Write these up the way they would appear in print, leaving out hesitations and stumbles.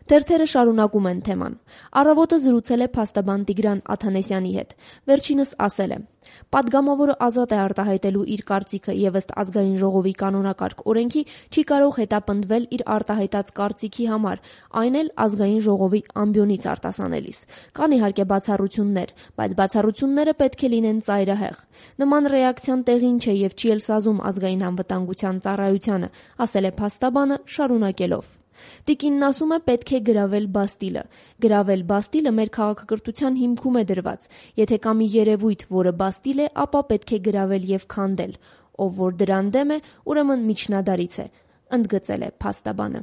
Թերթերը շարունակում են թեման։ Առավոտը զրուցել է փաստաբան Տիգրան Աթանեսյանի հետ։ Վերջինս ասել է. «Պատգամավորը ազատ է արտահայտելու իր կարծիքը եւ ըստ ազգային ժողովի կանոնակարգ օրենքի չի կարող հետապնդվել իր արտահայտած կարծիքի համար, այն էլ ազգային ժողովի ամբիոնից արտասանելիս։ Կան իհարկե բացառություններ, բայց բացառությունները պետք է լինեն ծայրահեղ։ Նման ռեակցիան տեղին չէ եւ չի էլ սազում ազգային անվտանգության ծառայությանը», ասել է փաստաբանը, շարունակելով. «Տիկինն ասում է պետք է գրավել Բաստիլը։ Գրավել Բաստիլը մեր քաղաքակրթության հիմքում է դրված։ Եթե կա մի երևույթ, որը Բաստիլ է, ապա պետք է գրավել եւ քանդել։ Ով որ դրան դեմ է, ուրեմն միջնադարից է», ընդգծել է փաստաբանը։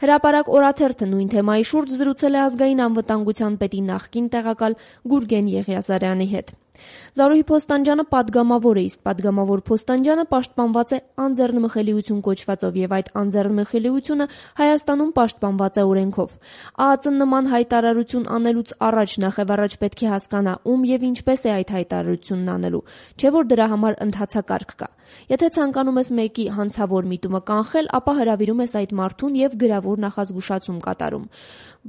Հրապարակ օրաթերթը նույն թեմայի շուրջ զրուցել է ազգային անվտանգության պետի նախկին տեղակալ Գուրգեն Եղիազարյանի հետ։ Զարուհի Փոստանջյանը պատգամավոր է, իսկ պատգամավոր Փոստանջյանը պաշտպանված է անձեռնմխելիություն կոչվածով եւ այդ անձեռնմխելիությունը Հայաստանում պաշտպանված է օրենքով։ ԱԱԾ-ն նման հայտարարություն անելուց առաջ նախևառաջ պետք է հասկանա ում եւ ինչպես է այդ հայտարարությունն անելու, չէ՞ որ դրա համար ընթացակարգ կա։ Եթե ցանկանում ես մեկի հանցավոր միտումը կանխել, ապա հրավիրում ես այդ մարդուն եւ գրավոր նախազգուշացում կատարում։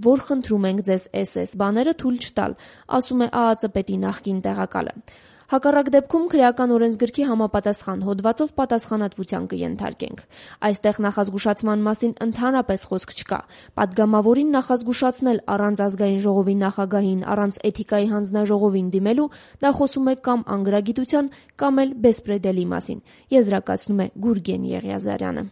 Որ խնդրում ենք ձեզ SS բաները թույլ չտալ, ասում է ԱԱԾ պետի նախկին տեղակալը։ Հակառակ դեպքում քրեական օրենսգրքի համապատասխան հոդվածով պատասխանատվության կենթարկենք։ Այստեղ նախազգուշացման մասին ընդհանրապես խոսք չկա։ Պատգամավորին նախազգուշացնել առանց ազգային ժողովի նախագահին, առանց էթիկայի հանձնաժողովին դիմելու, դա խոսում է կամ անգրագիտության, կամ էլ բեսպրեդելի մասին, եզրակացնում է Գուրգեն Եղիազարյանը։